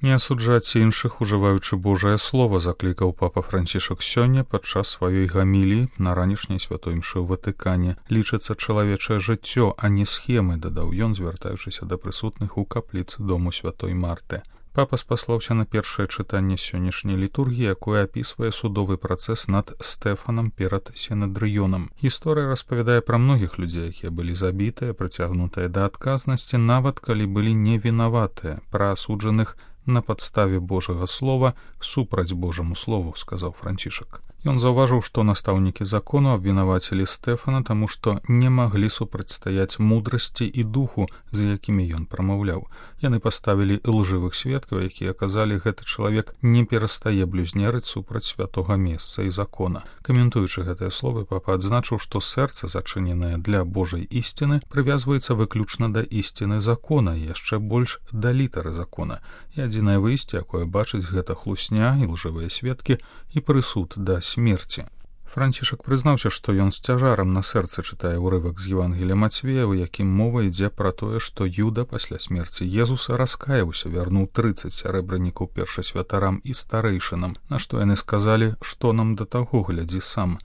Не асуджаць іншых, ужываючы Божае слово, заклікаў папа Францішак сёння падчас сваёй гаміліі на ранішняй святой імшы ў Ватыкане. Лічыцца чалавечае жыццё, а не схемы, дадаў ён, звяртаючыся да прысутных у капліцы дому святой Марты. Папа спаслаўся на першае чытанне сённяшняй літургіі, якое апісвае судовы працэс над Стэфанам перад Сінедрыёнам. Гісторыя распавядае пра многіх людзей, якія былі забітыя, прыцягнутыя да адказнасці, нават калі былі невінаватыя, пра асуджаных на падставе Божага слова супраць Божаму слову, сказаў Францішак. Ён заўважыў, што настаўнікі закону абвінавацілі Стэфана, таму што не маглі супрацьстаяць мудрасці і духу, за якімі ён прамаўляў. Яны паставілі лжывых сведкаў, якія казалі, гэты чалавек не перастае блюзнерыць супраць святога месца і закона. Каментуючы гэтыя словы, папа адзначыў, што сэрца, зачыненае для Божай ісціны, прывязваецца выключна да ісціны закона і яшчэ больш да літары закона. І адзінае выйсце, якое бачыць гэта хлусня і лжывыя сведкі і прысуд да смерці. Францішак прызнаўся, што ён з цяжарам на сэрцы чытае ўрывак з Евангелія Мацвея, у якім мова ідзе пра тое, што Юда пасля смерці Езуса раскаяўся, вярнуў 30 сярэбранікаў першасвятарам і старэйшынам, на што яны сказалі, што нам да таго, глядзі сам.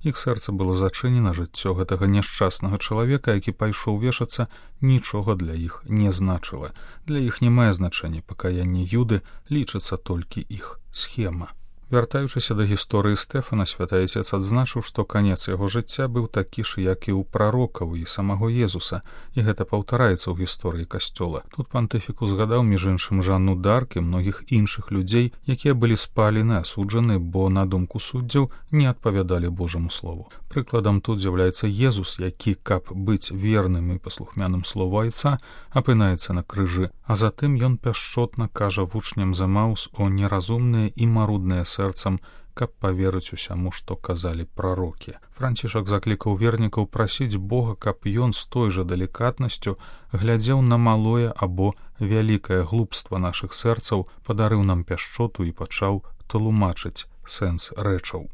Іх сэрца было зачынена, жыццё гэтага няшчаснага чалавека, які пайшоў вешацца, нічога для іх не значыла. Для іх не мае значэння пакаянне Юды, лічыцца толькі іх схема. Вяртаючыся да гісторыі Стэфана, святы Айцец адзначыў, што канец яго жыцця быў такі ж, як і ў прарокаў і самого Езуса, і гэта паўтараецца ў гісторыі касцёла. Тут пантыфік узгадаў, між іншым, Жанну Дарк і многіх іншых людзей, якія былі спалены, асуджаны, бо, на думку суддзяў, не адпавядалі Божаму слову. Прыкладам тут з'яўляецца Езус, які, каб быць верным і паслухмяным слову Айца, апынаецца на крыжы, а затым ён пяшчотна кажа вучням з Эмаус о неразумныя і марудныя сэрцам, каб паверыць усяму, што казалі прарокі. Францішак заклікаў вернікаў прасіць Бога, каб ён з той жа далікатнасцю глядзеў на малое або вялікае глупства нашых сэрцаў, падарыў нам пяшчоту і пачаў тлумачыць сэнс рэчаў.